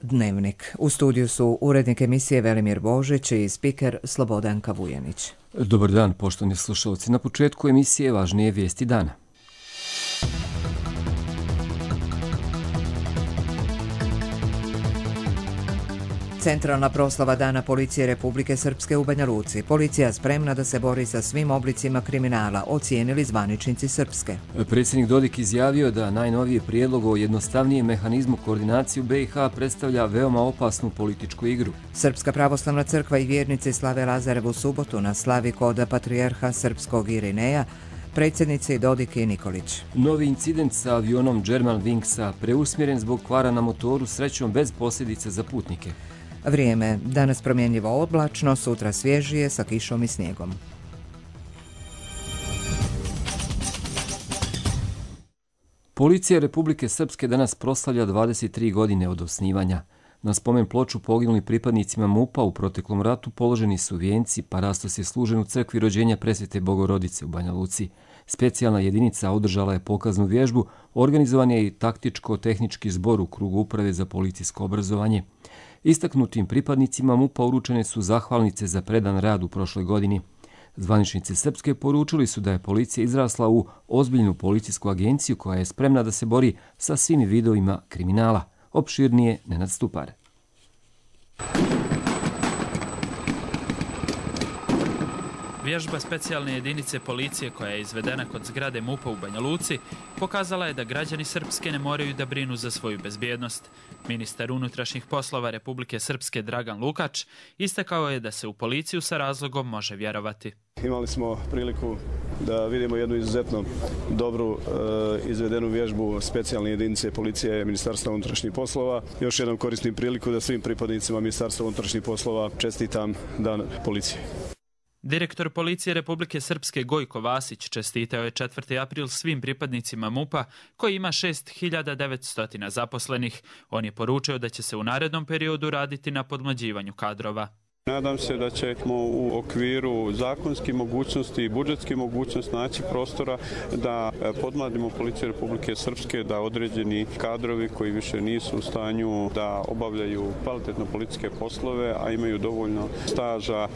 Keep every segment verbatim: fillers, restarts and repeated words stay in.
Dnevnik. U studiju su urednik emisije Velimir Božić i spiker Slobodanka Vujanić. Dobar dan, poštovani slušalci. Na početku emisije važnije vijesti dana. Centralna proslava Dana policije Republike Srpske u Banja Luci. Policija spremna da se bori sa svim oblicima kriminala, ocijenili zvaničnici Srpske. Predsjednik Dodik izjavio da najnoviji prijedlog o jednostavnijem mehanizmu koordinacije u be i ha predstavlja veoma opasnu političku igru. Srpska pravoslavna crkva i vjernici slave Lazarevu subotu na slavi kod patrijarha srpskog Irineja, predsjednici Dodik i Nikolić. Novi incident sa avionom Germanwingsa preusmjeren zbog kvara na motoru, srećom bez posljedica za putnike. Vrijeme. Danas promjenjivo oblačno, sutra svježije sa kišom i snijegom. Policija Republike Srpske danas proslavlja dvadeset tri godine od osnivanja. Na spomen ploču poginulim pripadnicima MUP-a u proteklom ratu položeni su vijenci, pa rastos je služen u crkvi rođenja Presvete Bogorodice u Banja Luci. Specijalna jedinica održala je pokaznu vježbu, organizovan je i taktičko-tehnički zbor u krugu uprave za policijsko obrazovanje. Istaknutim pripadnicima MUP-a uručene su zahvalnice za predan rad u prošloj godini. Zvaničnici Srpske poručili su da je policija izrasla u ozbiljnu policijsku agenciju koja je spremna da se bori sa svim vidovima kriminala. Opširnije Nenad Stupar. Vježba specijalne jedinice policije koja je izvedena kod zgrade MUP-a u Banja Luci pokazala je da građani Srpske ne moraju da brinu za svoju bezbjednost. Ministar unutrašnjih poslova Republike Srpske Dragan Lukač istakao je da se u policiju sa razlogom može vjerovati. Imali smo priliku da vidimo jednu izuzetno dobru e, izvedenu vježbu specijalne jedinice policije Ministarstva unutrašnjih poslova. Još jednom koristim priliku da svim pripadnicima Ministarstva unutrašnjih poslova čestitam Dan policije. Direktor policije Republike Srpske Gojko Vasić čestitao je četvrti april svim pripadnicima MUP-a koji ima šest hiljada devetsto zaposlenih. On je poručio da će se u narednom periodu raditi na podmlađivanju kadrova. Nadam se da ćemo u okviru zakonskih mogućnosti i budžetskih mogućnosti naći prostora da podmladimo policiju Republike Srpske, da određeni kadrovi koji više nisu u stanju da obavljaju kvalitetno policijske poslove, a imaju dovoljno staža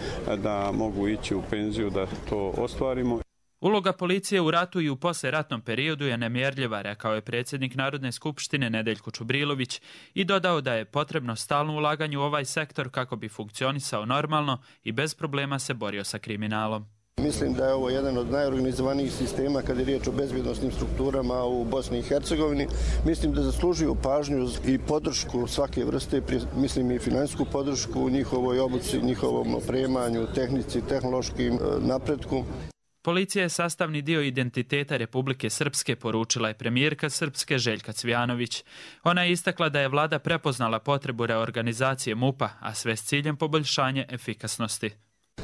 da mogu ići u penziju, da to ostvarimo. Uloga policije u ratu i u posleratnom periodu je nemjerljiva, rekao je predsjednik Narodne skupštine Nedeljko Čubrilović i dodao da je potrebno stalno ulaganje u ovaj sektor kako bi funkcionisao normalno i bez problema se borio sa kriminalom. Mislim da je ovo jedan od najorganizovanijih sistema kad je riječ o bezbjednosnim strukturama u Bosni i Hercegovini. Mislim da zaslužuju pažnju i podršku svake vrste, mislim i finansijsku podršku u njihovoj obuci, njihovom opremanju, tehnici, tehnološkim napretku. Policija je sastavni dio identiteta Republike Srpske, poručila je premijerka Srpske Željka Cvijanović. Ona je istakla da je vlada prepoznala potrebu reorganizacije MUP-a, a sve s ciljem poboljšanja efikasnosti.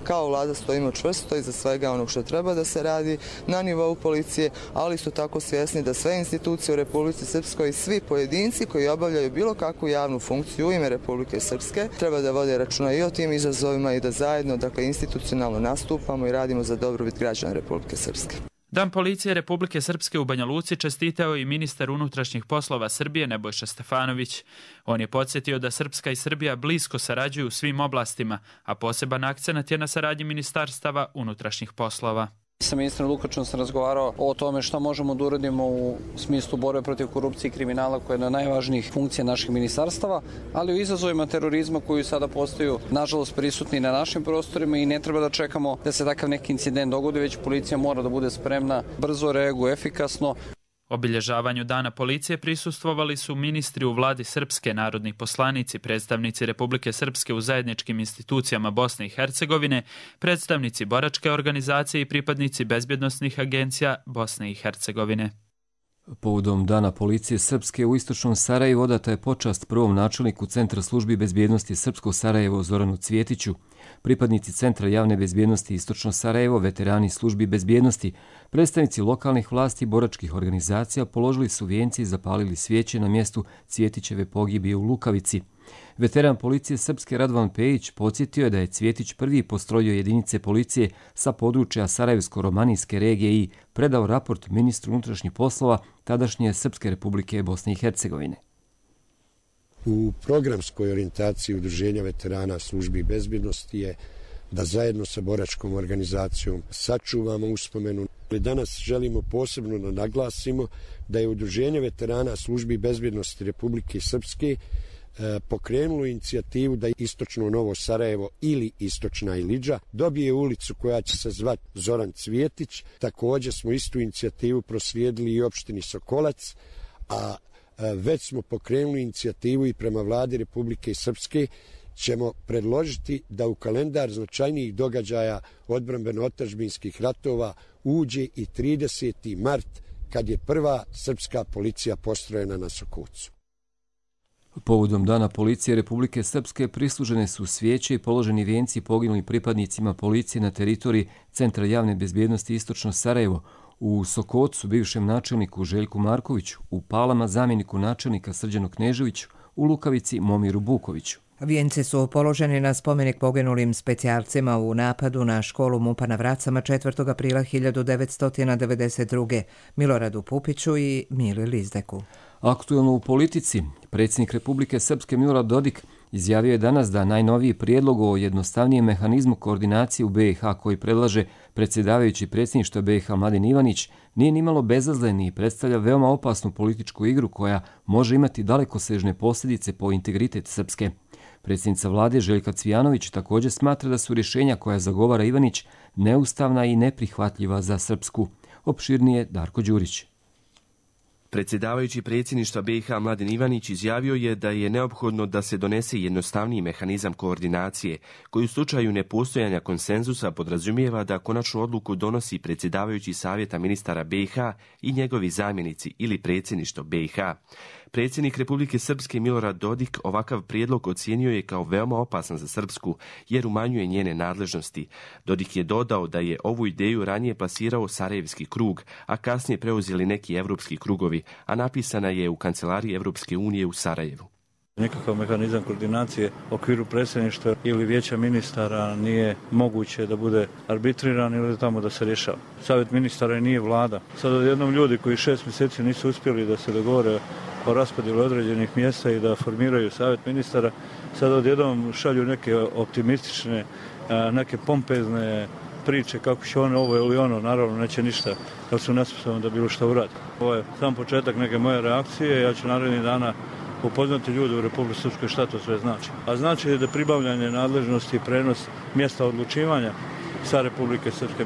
Kao vlada stojimo čvrsto iza svega onog što treba da se radi na nivou policije, ali su tako svjesni da sve institucije u Republici Srpskoj i svi pojedinci koji obavljaju bilo kakvu javnu funkciju u ime Republike Srpske treba da vode računa i o tim izazovima i da zajedno, dakle, institucionalno nastupamo i radimo za dobrobit građana Republike Srpske. Dan policije Republike Srpske u Banja Luci čestitao i ministar unutrašnjih poslova Srbije Nebojša Stefanović. On je podsjetio da Srpska i Srbija blisko sarađuju u svim oblastima, a poseban akcenat je na saradnji ministarstava unutrašnjih poslova. Sa ministrom Lukačom sam razgovarao o tome što možemo da uradimo u smislu borbe protiv korupcije i kriminala koja je jedna od najvažnijih funkcija naših ministarstava, ali o izazovima terorizma koji sada postaju nažalost prisutni na našim prostorima i ne treba da čekamo da se takav neki incident dogodi, već policija mora da bude spremna, brzo reaguje, efikasno. Obilježavanju Dana policije prisustvovali su ministri u vladi Srpske, narodni poslanici, predstavnici Republike Srpske u zajedničkim institucijama Bosne i Hercegovine, predstavnici boračke organizacije i pripadnici bezbjednosnih agencija Bosne i Hercegovine. Povodom Dana policije Srpske u istočnom Sarajevu odata je počast prvom načelniku Centra službi bezbjednosti Srpsko Sarajevo Zoranu Cvjetiću. Pripadnici Centra javne bezbjednosti Istočno Sarajevo, veterani službi bezbjednosti, predstavnici lokalnih vlasti i boračkih organizacija položili su vijenci i zapalili svijeće na mjestu Cvjetićeve pogibije u Lukavici. Veteran policije Srpske Radovan Pejić podsjetio je da je Cvjetić prvi postrojio jedinice policije sa područja Sarajevsko-romanijske regije i predao raport ministru unutrašnjih poslova tadašnje Srpske Republike Bosne i Hercegovine. u programskoj orijentaciji Udruženja veterana službi bezbjednosti je da zajedno sa boračkom organizacijom sačuvamo uspomenu. Danas želimo posebno da naglasimo da je Udruženje veterana službi bezbjednosti Republike Srpske pokrenulo inicijativu da Istočno Novo Sarajevo ili Istočna Ilidža dobije ulicu koja će se zvati Zoran Cvjetić. Također smo istu inicijativu proslijedili i opštini Sokolac, a već smo pokrenuli inicijativu i prema vladi Republike Srpske ćemo predložiti da u kalendar značajnijih događaja odbrambeno-otadžbinskih ratova uđe i trideseti mart, kad je prva srpska policija postrojena na Sokocu. Povodom Dana policije Republike Srpske prislužene su svijeće i položeni vijenci poginulim pripadnicima policije na teritoriji Centra javne bezbjednosti Istočno Sarajevo, u Sokocu bivšem načelniku Željku Markoviću, u Palama zamjeniku načelnika Srđanu Kneževiću, u Lukavici Momiru Bukoviću. Vijenci su položeni na spomenik poginulim specijalcima u napadu na školu MUP-a na Vracama četvrtog aprila hiljadu devetsto devedeset druge. Miloradu Pupiću i Mili Lizdeku. Aktuelno u politici, predsjednik Republike Srpske Milorad Dodik izjavio je danas da najnoviji prijedlog o jednostavnijem mehanizmu koordinacije u B i H koji predlaže predsjedavajući predsjedništva B i H Mladen Ivanić nije nimalo bezazlen i predstavlja veoma opasnu političku igru koja može imati dalekosežne posljedice po integritet Srpske. Predsjednica vlade Željka Cvijanović također smatra da su rješenja koja zagovara Ivanić neustavna i neprihvatljiva za Srpsku. Opširnije Darko Đurić. Predsjedavajući predsjedništva B i H Mladen Ivanić izjavio je da je neophodno da se donese jednostavniji mehanizam koordinacije, koji u slučaju nepostojanja konsenzusa podrazumijeva da konačnu odluku donosi predsjedavajući savjeta ministara B i H i njegovi zamjenici ili predsjedništvo B i H. Predsjednik Republike Srpske Milorad Dodik ovakav prijedlog ocijenio je kao veoma opasan za Srpsku, jer umanjuje njene nadležnosti. Dodik je dodao da je ovu ideju ranije plasirao Sarajevski krug, a kasnije preuzeli neki evropski krugovi, a napisana je u kancelariji Evropske unije u Sarajevu. Nikakav mehanizam koordinacije u okviru predsjedništva ili vijeća ministara nije moguće da bude arbitriran ili tamo da se rješava. Savjet ministara nije vlada. Sad odjednom ljudi koji šest mjeseci nisu uspjeli da se dogovore o raspodjelu određenih mjesta i da formiraju savjet ministara, sad odjednom šalju neke optimistične, neke pompezne priče kako će ono ovo ili ono, naravno neće ništa, jer su nesposobni da bilo što uradi. Ovo je sam početak neke moje reakcije, ja ću narednih dana upoznati ljudi u Republike Srpskoj šta to sve znači. A znači da pribavljanje nadležnosti i prenos mjesta odlučivanja sa Republike Srpske.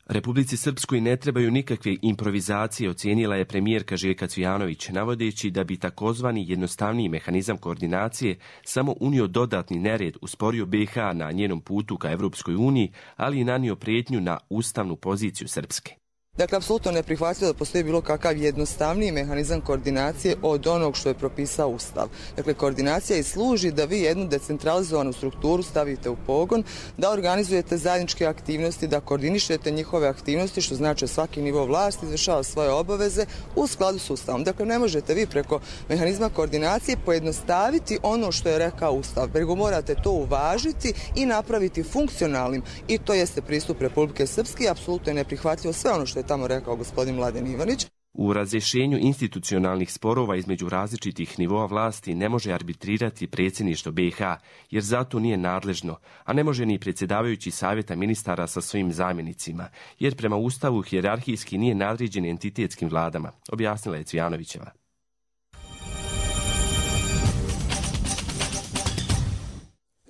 Republici Srpskoj ne trebaju nikakve improvizacije, ocijenila je premijerka Željka Cvijanović, navodeći da bi takozvani jednostavniji mehanizam koordinacije samo unio dodatni nered, usporio B i H na njenom putu ka Evropskoj uniji, ali i nanio prijetnju na ustavnu poziciju Srpske. Dakle, apsolutno neprihvatljivo da postoji bilo kakav jednostavniji mehanizam koordinacije od onog što je propisao Ustav. Dakle, koordinacija i služi da vi jednu decentralizovanu strukturu stavite u pogon, da organizujete zajedničke aktivnosti, da koordinišete njihove aktivnosti, što znači svaki nivo vlasti izvršava svoje obaveze u skladu s Ustavom. Dakle, ne možete vi preko mehanizma koordinacije pojednostaviti ono što je rekao Ustav, nego morate to uvažiti i napraviti funkcionalnim. I to jeste pristup Republike Srpske, apsolutno je neprihvatljivo sve ono što je tamo rekao gospodin Mladen Ivanić. U razrješenju institucionalnih sporova između različitih nivoa vlasti ne može arbitrirati predsjedništvo B i H, jer zato nije nadležno, a ne može ni predsjedavajući savjeta ministara sa svojim zamjenicima, jer prema Ustavu hijerarhijski nije nadređen entitetskim vladama, objasnila je Cvijanovićeva.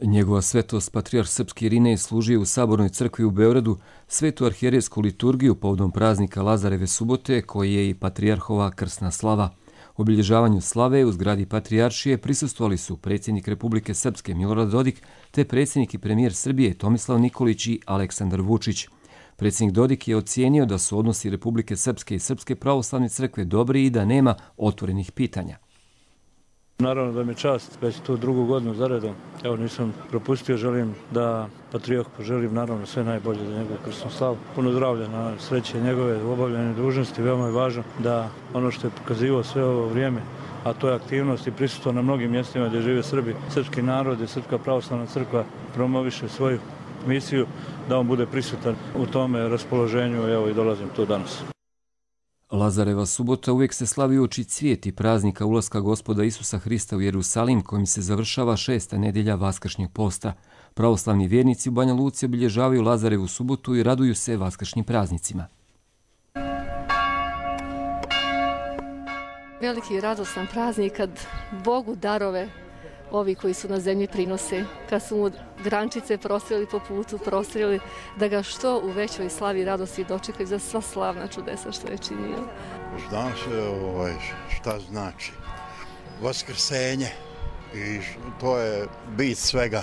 Njegova svetost patrijarh srpski Irinej služio u Sabornoj crkvi u Beogradu svetu arhijerejsku liturgiju povodom praznika Lazareve subote, koji je i patrijarhova krsna slava. Obilježavanju slave u zgradi patrijaršije prisustvovali su predsjednik Republike Srpske Milorad Dodik te predsjednik i premijer Srbije Tomislav Nikolić i Aleksandar Vučić. Predsjednik Dodik je ocijenio da su odnosi Republike Srpske i Srpske pravoslavne crkve dobri i da nema otvorenih pitanja. Naravno da mi je čast, već tu drugu godinu zaredom. Evo, nisam propustio, želim da patrijarh poželim naravno sve najbolje za njegovu krsnu slavu. Puno zdravlja na sreće njegove u obavljanju dužnosti. Veoma je važno da ono što je pokazivao sve ovo vrijeme, a to je aktivnost i prisustvo na mnogim mjestima gdje žive Srbi, srpski narod i Srpska pravoslavna crkva promoviše svoju misiju, da on bude prisutan u tome raspoloženju, evo i dolazim tu danas. Lazareva subota uvijek se slavi uoči cvijeti praznika ulaska Gospoda Isusa Hrista u Jerusalim, kojim se završava šesta nedjelja Vaskršnjeg posta. Pravoslavni vjernici u Banja Luci obilježavaju Lazarevu subotu i raduju se vaskršnjim praznicima. Veliki i radostan praznik kad Bogu darove ovi koji su na zemlji prinose, kad su mu grančice prostreli po putu, prostreli da ga što u većoj slavi i radosti dočekaju za sva slavna čudesa što je činio. Znam se ovaj, šta znači vaskrsenje i to je bit svega.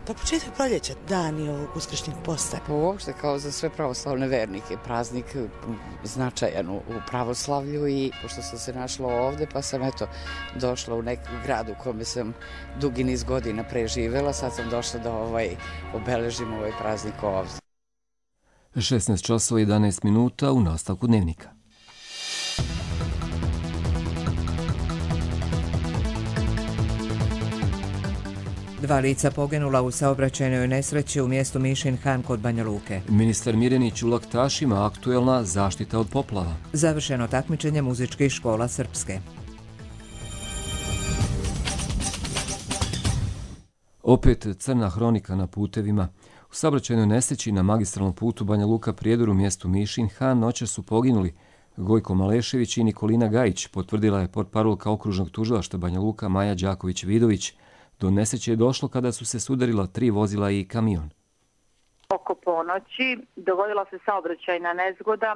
Pa početak proljeća, dani ovog uskršnjeg posta. Uopšte kao za sve pravoslavne vernike, praznik značajan u pravoslavlju i pošto sam se našla ovde pa sam eto došla u neki grad u kome sam dugi niz godina preživela, sad sam došla da ovaj, obeležim ovaj praznik ovde. šesnaest časova i jedanaest minuta u nastavku dnevnika. Dva lica poginula u saobraćajnoj nesreći u mjestu Mišin Han kod Banja Luke. Ministar Mirjanić u laktašima, aktuelna zaštita od poplava. Završeno takmičenje muzičkih škola Srpske. Opet crna hronika na putevima. U saobraćajnoj nesreći na magistralnom putu Banja Luka Prijedor u mjestu Mišin Han noćas su poginuli Gojko Malešević i Nikolina Gajić, potvrdila je portparolka okružnog tužilaštva Banja Luka Maja Đaković-Vidović. Do nesreće je došlo kada su se sudarila tri vozila i kamion. Oko ponoći dogodila se saobraćajna nezgoda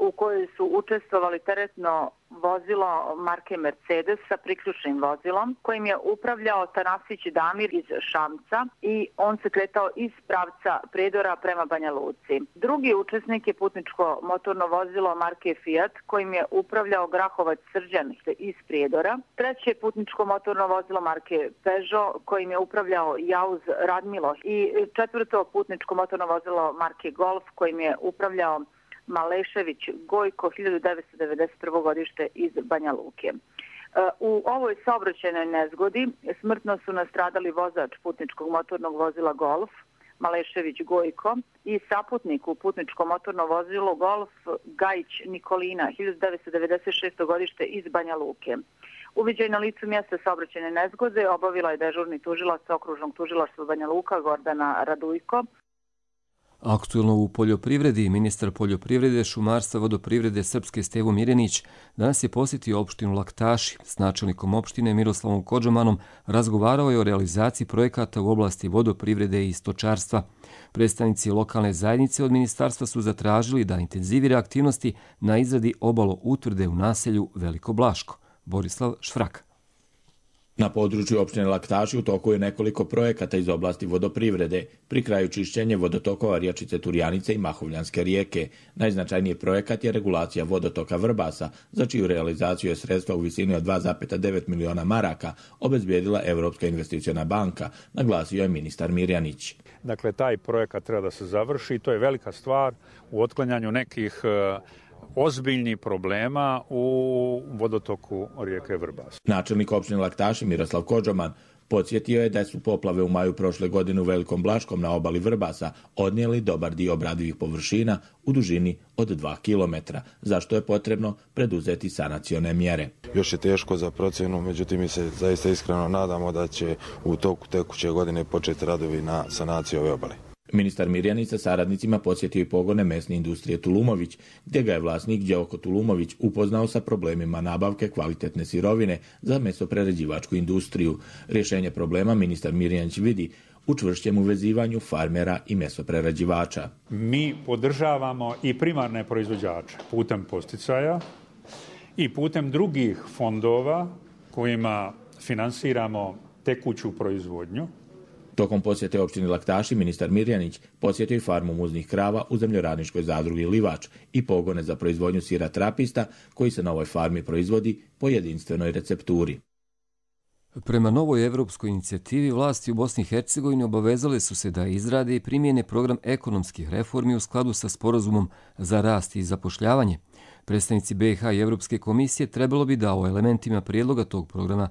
u kojoj su učestvovali teretno vozilo marke Mercedes sa priključnim vozilom kojim je upravljao Tanasić Damir iz Šamca i on se kretao iz pravca Prijedora prema Banja Luci. Drugi učesnik je putničko motorno vozilo marke Fiat kojim je upravljao Grahovac Srđan iz Prijedora. Treće je putničko motorno vozilo marke Peugeot kojim je upravljao Jauz Radmilo i četvrto putničko motorno vozilo marke Golf kojim je upravljao Malešević Gojko, hiljadu devetsto devedeset prvo godište iz Banja Luke. U ovoj saobraćajnoj nezgodi smrtno su nastradali vozač putničkog motornog vozila Golf, Malešević Gojko, i saputnik u putničko motorno vozilo Golf Gajić Nikolina, hiljadu devetsto devedeset šesto godište iz Banja Luke. Uviđaj na licu mjesta saobraćajne nezgode obavila je dežurni tužilac okružnog tužilaštva Banja Luka Gordana Radujko. Aktuelno u poljoprivredi, ministar poljoprivrede, šumarstva, vodoprivrede Srpske Stevo Mirjanić danas je posjetio opštinu Laktaši. S načelnikom opštine Miroslavom Kodžamanom razgovarao je o realizaciji projekata u oblasti vodoprivrede i stočarstva. Predstavnici lokalne zajednice od ministarstva su zatražili da intenzivira aktivnosti na izradi obalo utvrde u naselju Veliko Blaško. Borislav Šfrak. Na području opštine Laktaši u toku je nekoliko projekata iz oblasti vodoprivrede, pri kraju čišćenje vodotokova Rijačice Turjanice i Mahovljanske rijeke. Najznačajniji projekat je regulacija vodotoka Vrbasa, za čiju realizaciju je sredstva u visini od dva zarez devet miliona maraka obezbijedila Evropska investiciona banka, naglasio je ministar Mirjanić. Dakle, taj projekat treba da se završi, to je velika stvar u otklanjanju nekih ozbiljnih problema u vodotoku rijeke Vrbas. Načelnik opštine Laktaši Miroslav Kodžaman podsjetio je da su poplave u maju prošle godine u Velikom Blaškom na obali Vrbasa odnijeli dobar dio obradivih površina u dužini od dva kilometra, zašto je potrebno preduzeti sanacione mjere. Još je teško za procjenu, međutim mi se zaista iskreno nadamo da će u toku tekuće godine početi radovi na sanaciji ove obale. Ministar Mirjanić sa saradnicima posjetio i pogone mesne industrije Tulumović, gdje ga je vlasnik Đevko Tulumović upoznao sa problemima nabavke kvalitetne sirovine za mesoprerađivačku industriju. Rješenje problema ministar Mirjanić vidi u čvršćem uvezivanju farmera i mesoprerađivača. Mi podržavamo i primarne proizvođače putem posticaja i putem drugih fondova kojima finansiramo tekuću proizvodnju. Tokom posjete opštini Laktaši, ministar Mirjanić posjetio i farmu muznih krava u zemljoradničkoj zadrugi Livač i pogone za proizvodnju sira Trapista, koji se na ovoj farmi proizvodi po jedinstvenoj recepturi. Prema novoj evropskoj inicijativi, vlasti u Bosni i Hercegovini obavezale su se da izrade i primjene program ekonomskih reformi u skladu sa sporazumom za rast i zapošljavanje. Predstavnici B i H i Evropske komisije trebalo bi da o elementima prijedloga tog programa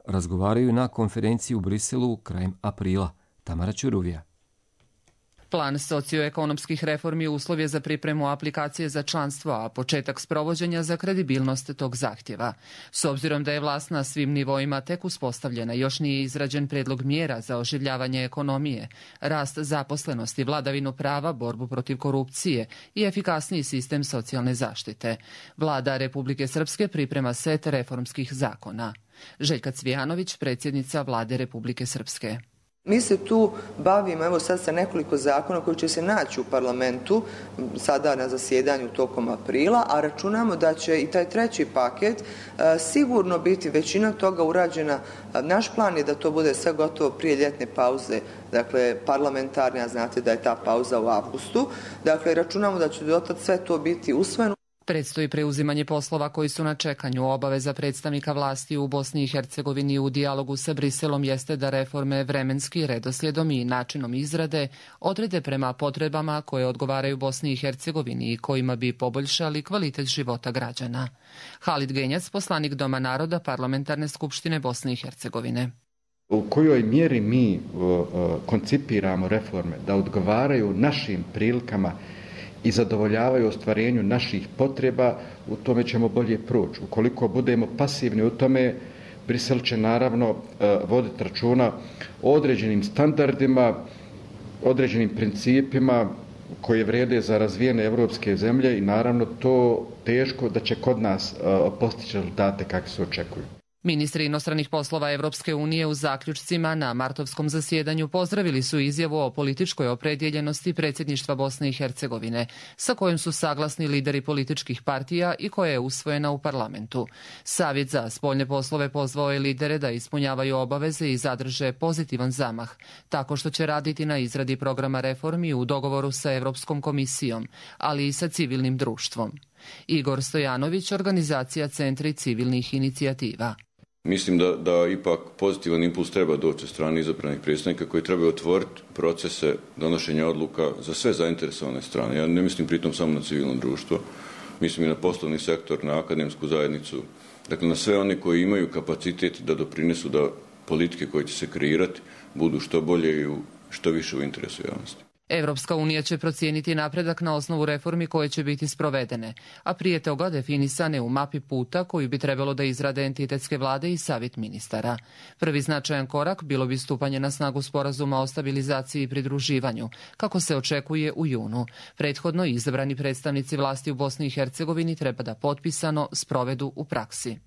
razgovaraju na konferenciji u Briselu krajem aprila. Tamara Ćuruvija. Plan socioekonomskih reformi uslov je za pripremu aplikacije za članstvo, a početak sprovođenja za kredibilnost tog zahtjeva. S obzirom da je vlast na svim nivoima tek uspostavljena, još nije izrađen predlog mjera za oživljavanje ekonomije, rast zaposlenosti, vladavinu prava, borbu protiv korupcije i efikasniji sistem socijalne zaštite. Vlada Republike Srpske priprema set reformskih zakona. Željka Cvijanović, predsjednica Vlade Republike Srpske. Mi se tu bavimo, evo sad sa nekoliko zakona koji će se naći u parlamentu sada na zasjedanju tokom aprila, a računamo da će i taj treći paket e, sigurno biti većina toga urađena. Naš plan je da to bude sve gotovo prije ljetne pauze, dakle parlamentarne, a znate da je ta pauza u avgustu. Dakle, računamo da će dotad sve to biti usvojeno. Predstoji preuzimanje poslova koji su na čekanju. Obaveza predstavnika vlasti u Bosni i Hercegovini u dijalogu sa Briselom jeste da reforme vremenski redoslijedom i načinom izrade odrede prema potrebama koje odgovaraju Bosni i Hercegovini i kojima bi poboljšali kvalitet života građana. Halid Genjac, poslanik Doma naroda Parlamentarne skupštine Bosne i Hercegovine. U kojoj mjeri mi uh, uh, koncipiramo reforme da odgovaraju našim prilikama i zadovoljavaju ostvarenju naših potreba, u tome ćemo bolje proći. Ukoliko budemo pasivni u tome, Brisel će naravno voditi računa o određenim standardima, određenim principima koje vrijede za razvijene evropske zemlje i naravno to teško da će kod nas postići rezultate kakvi se očekuju. Ministri inostranih poslova Evropske unije u zaključcima na martovskom zasjedanju pozdravili su izjavu o političkoj opredjeljenosti predsjedništva Bosne i Hercegovine, sa kojom su saglasni lideri političkih partija i koja je usvojena u parlamentu. Savjet za spoljne poslove pozvao je lidere da ispunjavaju obaveze i zadrže pozitivan zamah, tako što će raditi na izradi programa reformi u dogovoru sa Evropskom komisijom, ali i sa civilnim društvom. Igor Stojanović, organizacija Centri civilnih inicijativa. Mislim da, da ipak pozitivan impuls treba doći od strane izabranih predstavnika koji trebaju otvoriti procese donošenja odluka za sve zainteresovane strane. Ja ne mislim pritom samo na civilno društvo, mislim i na poslovni sektor, na akademsku zajednicu, dakle na sve one koji imaju kapacitet da doprinesu da politike koje će se kreirati budu što bolje i što više u interesu javnosti. Evropska unija će procijeniti napredak na osnovu reformi koje će biti sprovedene, a prije toga definisane u mapi puta koju bi trebalo da izrade entitetske vlade i savjet ministara. Prvi značajan korak bilo bi stupanje na snagu sporazuma o stabilizaciji i pridruživanju, kako se očekuje u junu. Prethodno izabrani predstavnici vlasti u Bosni i Hercegovini treba da potpisano sprovedu u praksi.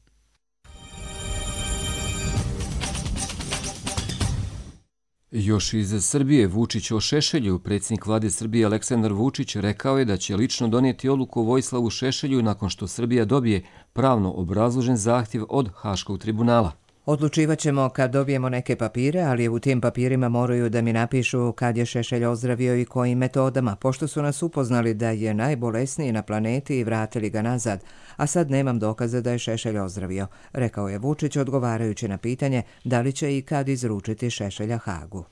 Još iz Srbije Vučić o Šešelju. Predsjednik vlade Srbije Aleksandar Vučić rekao je da će lično donijeti odluku o Vojislavu Šešelju nakon što Srbija dobije pravno obrazložen zahtjev od Haškog tribunala. Odlučivat ćemo kad dobijemo neke papire, ali u tim papirima moraju da mi napišu kad je Šešelj ozdravio i kojim metodama, pošto su nas upoznali da je najbolesniji na planeti i vratili ga nazad, a sad nemam dokaza da je Šešelj ozdravio, rekao je Vučić odgovarajući na pitanje da li će i kad izručiti Šešelja Hagu.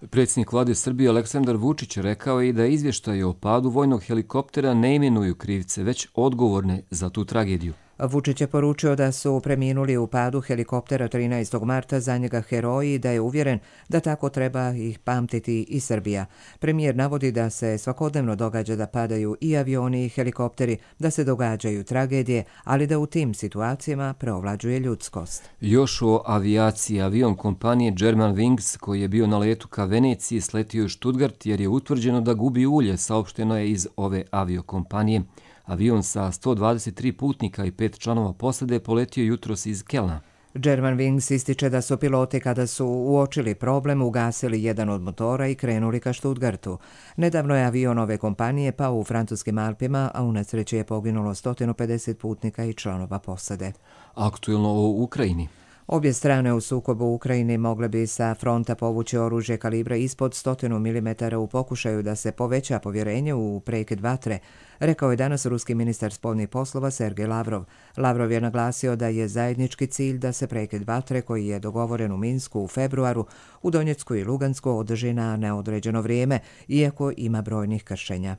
Predsjednik vlade Srbije Aleksandar Vučić rekao je i da izvještaje o padu vojnog helikoptera ne imenuju krivce, već odgovorne za tu tragediju. Vučić je poručio da su preminuli u padu helikoptera trinaestog marta za njega heroji i da je uvjeren da tako treba ih pamtiti i Srbija. Premijer navodi da se svakodnevno događa da padaju i avioni i helikopteri, da se događaju tragedije, ali da u tim situacijama preovlađuje ljudskost. Još o avijaciji. Avion kompanije Germanwings koji je bio na letu ka Veneciji sletio u Stuttgart jer je utvrđeno da gubi ulje, saopšteno je iz ove aviokompanije. Avion sa sto dvadeset tri putnika i pet članova posade poletio jutros iz Kelna. Germanwings ističe da su piloti kada su uočili problem ugasili jedan od motora i krenuli ka Stuttgartu. Nedavno je avion ove kompanije pao u francuskim Alpima, a u nesreći je poginulo sto pedeset putnika i članova posade. Aktuelno o Ukrajini. Obje strane u sukobu u Ukrajini mogle bi sa fronta povući oružje kalibra ispod sto milimetara u pokušaju da se poveća povjerenje u prekid vatre, rekao je danas ruski ministar spoljnih poslova Sergej Lavrov. Lavrov je naglasio da je zajednički cilj da se prekid vatre koji je dogovoren u Minsku u februaru u Donjecku i Lugansku održi na neodređeno vrijeme, iako ima brojnih kršenja.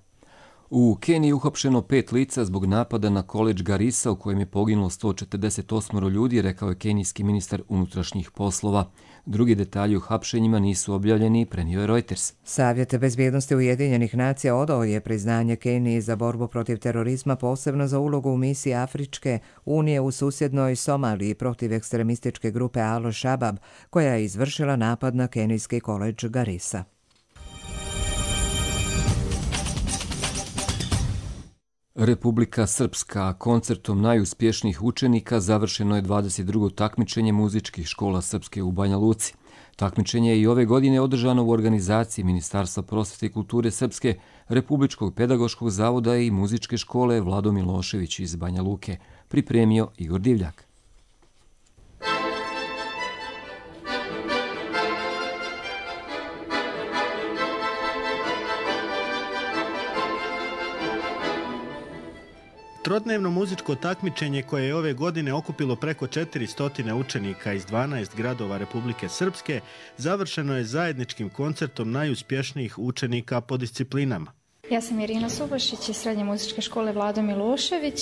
U Keniji uhapšeno pet lica zbog napada na koledž Garissa u kojem je poginulo sto četrdeset osam ljudi, rekao je kenijski ministar unutrašnjih poslova. Drugi detalji o hapšenjima nisu objavljeni, prenio je Reuters. Savjet bezbjednosti Ujedinjenih nacija odao je priznanje Keniji za borbu protiv terorizma, posebno za ulogu u misiji Afričke unije u susjednoj Somaliji protiv ekstremističke grupe Al-Shabab, koja je izvršila napad na kenijski koledž Garissa. Republika Srpska koncertom najuspješnijih učenika završeno je dvadeset drugo takmičenje muzičkih škola Srpske u Banja Luci. Takmičenje je i ove godine održano u organizaciji Ministarstva prosvete i kulture Srpske, Republičkog pedagoškog zavoda i muzičke škole Vlado Milošević iz Banja Luke, pripremio Igor Divljak. Trodnevno muzičko takmičenje koje je ove godine okupilo preko četiristo učenika iz dvanaest gradova Republike Srpske završeno je zajedničkim koncertom najuspješnijih učenika po disciplinama. Ja sam Irina Subašić iz Srednje muzičke škole Vlado Milošević.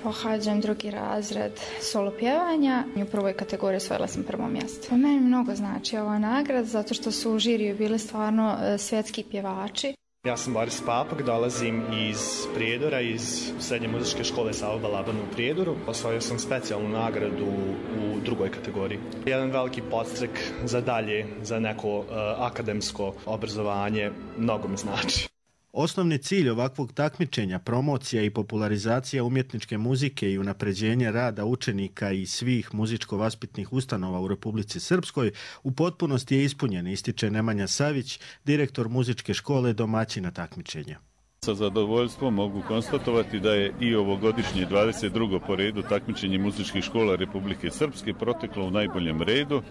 Pohađam drugi razred solo pjevanja. U prvoj kategoriji osvojila sam prvo mjesto. Po meni mnogo znači ova nagrada zato što su u žiriju bili stvarno svjetski pjevači. Ja sam Boris Papak, dolazim iz Prijedora, iz Srednje muzičke škole Savo Balabana u Prijedoru. Osvojio sam specijalnu nagradu u drugoj kategoriji. Jedan veliki podstrek za dalje, za neko uh, akademsko obrazovanje, mnogo mi znači. Osnovni cilj ovakvog takmičenja, promocija i popularizacija umjetničke muzike i unapređenje rada učenika i svih muzičko-vaspitnih ustanova u Republici Srpskoj u potpunosti je ispunjen, ističe Nemanja Savić, direktor muzičke škole domaćina takmičenja. Sa zadovoljstvom mogu konstatovati da je i ovogodišnje dvadeset drugo po redu takmičenje muzičkih škola Republike Srpske proteklo u najboljem redu,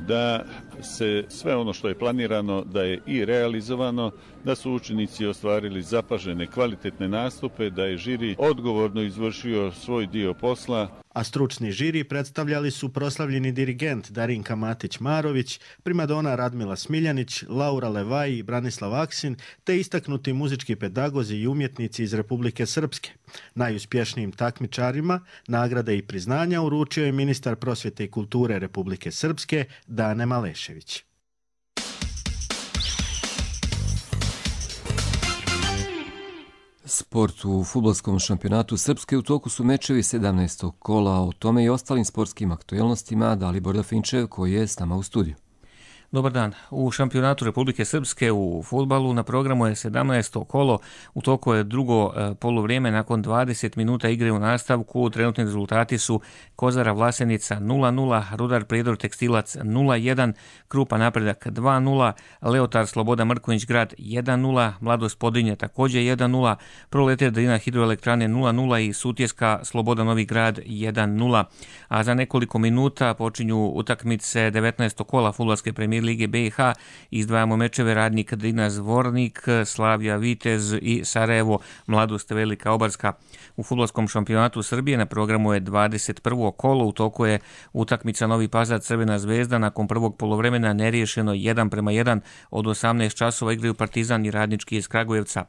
da se sve ono što je planirano da je i realizovano, da su učenici ostvarili zapažene kvalitetne nastupe, da je žiri odgovorno izvršio svoj dio posla. A stručni žiri predstavljali su proslavljeni dirigent Darinka Matić-Marović, primadona Radmila Smiljanić, Laura Levaj i Branislav Aksin, te istaknuti muzički pedagozi i umjetnici iz Republike Srpske. Najuspješnijim takmičarima nagrade i priznanja uručio je ministar prosvjete i kulture Republike Srpske Dane Malešević. Sport u fudbalskom šampionatu Srpske u toku su mečevi sedamnaestog kola, o tome i ostalim sportskim aktuelnostima Dalibor Dafinčev koji je s nama u studiju. Dobar dan. U šampionatu Republike Srpske u fudbalu na programu je sedamnaesto kolo. U toku je drugo poluvrijeme nakon dvadeset minuta igre u nastavku. Trenutni rezultati su Kozara Vlasenica nula nula, Rudar Prijedor Tekstilac nula jedan, Krupa Napredak dva nula, Leotar Sloboda Mrkonjić Grad jedan nula, Mladost Podrinje također jedan nula, Proletar Drina Hidroelektrane nula nula i Sutjeska Sloboda Novi Grad jedan nula. A za nekoliko minuta počinju utakmice devetnaestog kola fudbalske premijer Lige B i H. Izdvajamo mečeve Radnik Drina Zvornik, Slavija Vitez i Sarajevo Mladost Velika Obarska. U fudbalskom šampionatu Srbije na programu je dvadeset prvo kolo. U toku je utakmica Novi Pazar Crvena zvezda. Nakon prvog poluvremena neriješeno jedan prema jedan. Od osamnaest časova igraju Partizan i Radnički iz Kragujevca.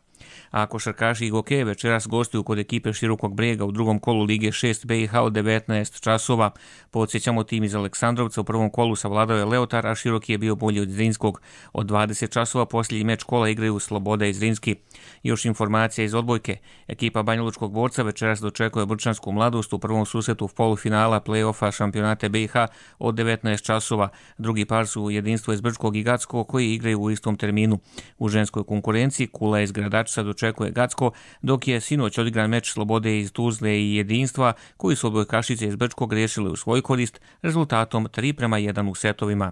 A košarkaši i gokeje večeras gostuju kod ekipe Širokog Brega u drugom kolu Lige šest B i H od devetnaest časova. Podsjećamo, tim iz Aleksandrovca u prvom kolu savladao je Leotar, a Široki je bio bolji od Zrinskog. Od dvadeset časova posljednji meč kola igraju Sloboda i Zrinski. Još informacija iz odbojke. Ekipa Banjalučkog borca večeras dočekuje Brčansku Mladost u prvom susretu polufinala play-offa šampionate B i H od devetnaest časova. Drugi par su Jedinstvo iz Brčkog i Gacko koji igraju u istom terminu. U ženskoj konkurenciji Kula iz Gradačca dočekuje Gacko, dok je sinoć odigran meč Slobode iz Tuzle i Jedinstva koji su odbojkašice iz Brčkog riješile u svoj korist rezultatom tri prema jedan u setovima.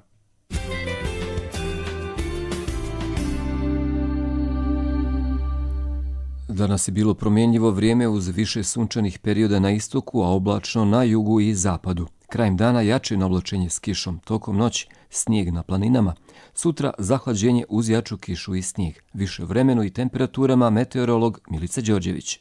Danas je bilo promjenjivo vrijeme uz više sunčanih perioda na istoku, a oblačno na jugu i zapadu. Krajem dana jače navlačenje s kišom, tokom noći snijeg na planinama. Sutra zahlađenje uz jaču kišu i snijeg. Više vremenu i temperaturama meteorolog Milica Đorđević.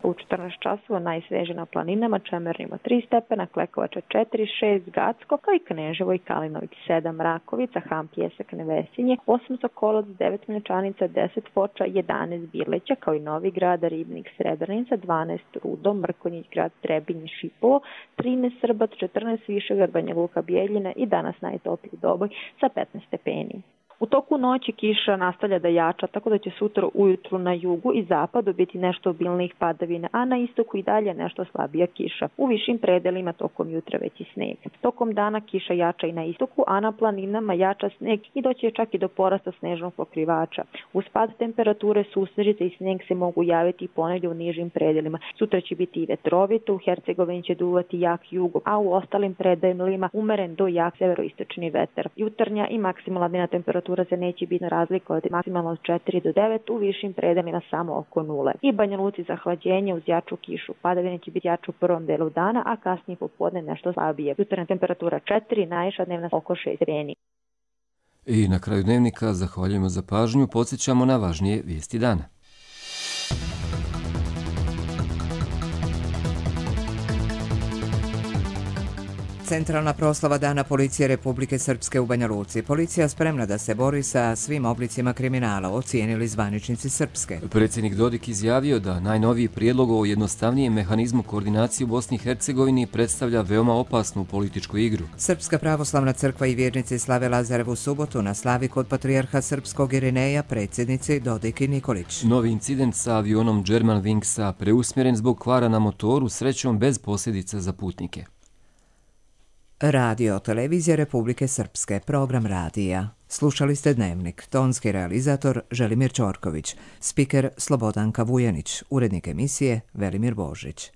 U četrnaest časova najsveže na planinama, Čemerni ima tri stepena, Klekovača četiri, šest, Gacko, kao i Kneževo i Kalinović sedam, Rakovica, Ham, Pjesak, Nevesinje, osam, Sokolac, devet, Mlečanica, deset, Foča, jedanaest, Birleća, kao i Novi Grad, Ribnik, Srebrenica, dvanaest, Rudo, Mrkonjić Grad, Trebinje, Šipovo, trinaest, Srbac, četrnaest, Višegrad, Banja Luka, Bijeljina i danas najtopliji Doboj sa petnaest stepeni. U toku noći kiša nastavlja da jača, tako da će sutra ujutru na jugu i zapadu biti nešto obilnijih padavina, a na istoku i dalje nešto slabija kiša. U višim predelima tokom jutra već i sneg. Tokom dana kiša jača i na istoku, a na planinama jača sneg i doće čak i do porasta snežnog pokrivača. Uz pad temperature susnežice i sneg se mogu javiti i ponegdje u nižim predelima. Sutra će biti i vetrovito, u Hercegovini će duvati jak jugo, a u ostalim predelima umeren do jak severoistočni vetar. Jutarnja i maksimalna dnevna temperatura se neće biti razlika od maksimalno od četiri do devet, u višim predelima samo oko nule. I Banja Luci zahlađenje uz jaču kišu. Padavine će biti jače u prvom delu dana, a kasnije popodne nešto slabije. Jutarnja temperatura četiri, najviša dnevna oko šest stepeni. I na kraju dnevnika zahvaljujemo za pažnju, podsjećamo na važnije vijesti dana. Centralna proslava Dana policije Republike Srpske u Banja Luci. Policija spremna da se bori sa svim oblicima kriminala, ocijenili zvaničnici Srpske. Predsjednik Dodik izjavio da najnoviji prijedlog o jednostavnijem mehanizmu koordinacije u Bosni i Hercegovini predstavlja veoma opasnu političku igru. Srpska pravoslavna crkva i vjernici slave Lazarevu subotu na slavi kod patrijarha srpskog Irineja, predsjednici Dodik i Nikolić. Novi incident sa avionom Germanwingsa preusmjeren zbog kvara na motoru, srećom bez posljedica za putnike. Radio televizija Republike Srpske, program radija. Slušali ste Dnevnik, tonski realizator Želimir Ćorković, spiker Slobodanka Vujanić, urednik emisije Velimir Božić.